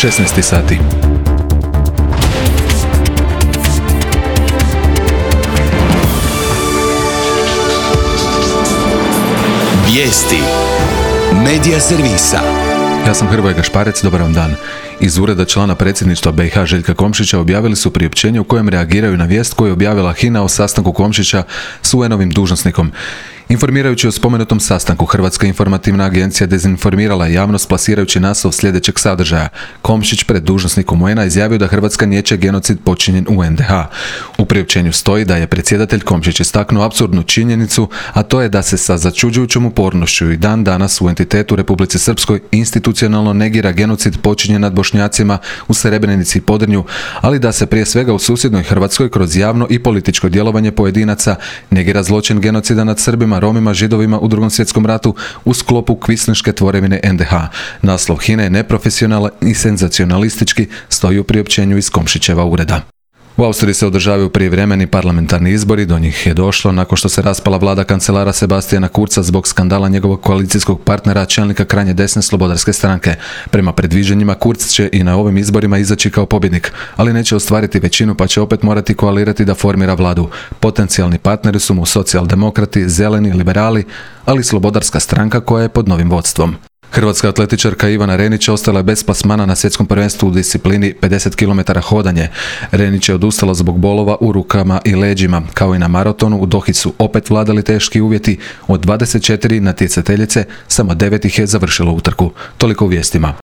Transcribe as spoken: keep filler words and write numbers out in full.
šesnaest sati. Vijesti Medija servisa. Ja sam Hrvoje Gašparec, dobar vam dan. Iz ureda člana predsjedništva B i H Željka Komšića objavili su priopćenje u kojem reagiraju na vijest koju je objavila H I N A o sastanku Komšića s U N-ovim dužnosnikom. Informirajući o spomenutom sastanku, Hrvatska informativna agencija dezinformirala je javnost plasirajući naslov sljedećeg sadržaja. Komšić pred dužnosnikom U N-a izjavio da Hrvatska niječe genocid počinjen u N D H. U priopćenju stoji da je predsjedatelj Komšić istaknuo apsurdnu činjenicu, a to je da se sa začuđujućom upornošću i dan danas u entitetu Republici Srpskoj institucionalno negira genocid počinjen nad Bošnjacima u Srebrenici i Podrinju, ali da se prije svega u susjednoj Hrvatskoj kroz javno i političko djelovanje pojedinaca negira zločin genocida nad Srbima, Romima, Židovima u Drugom svjetskom ratu u sklopu kvislinške tvorevine N D H. Naslov H I N A je neprofesionalan i senzacionalistički, stoji u priopćenju iz Komšićeva ureda. U Austriji se održavaju prijevremeni parlamentarni izbori, do njih je došlo nakon što se raspala vlada kancelara Sebastijana Kurza zbog skandala njegovog koalicijskog partnera, čelnika krajnje desne Slobodarske stranke. Prema predviđanjima, Kurz će i na ovim izborima izaći kao pobjednik, ali neće ostvariti većinu pa će opet morati koalirati da formira vladu. Potencijalni partneri su mu socijaldemokrati, zeleni, liberali, ali Slobodarska stranka koja je pod novim vodstvom. Hrvatska atletičarka Ivana Renić ostala je bez plasmana na svjetskom prvenstvu u disciplini pedeset kilometara hodanje. Renić je odustala zbog bolova u rukama i leđima. Kao i na maratonu, u Dohi su opet vladali teški uvjeti. Od dvadeset četiri natjecateljice samo devet ih je završilo utrku. Toliko u vijestima.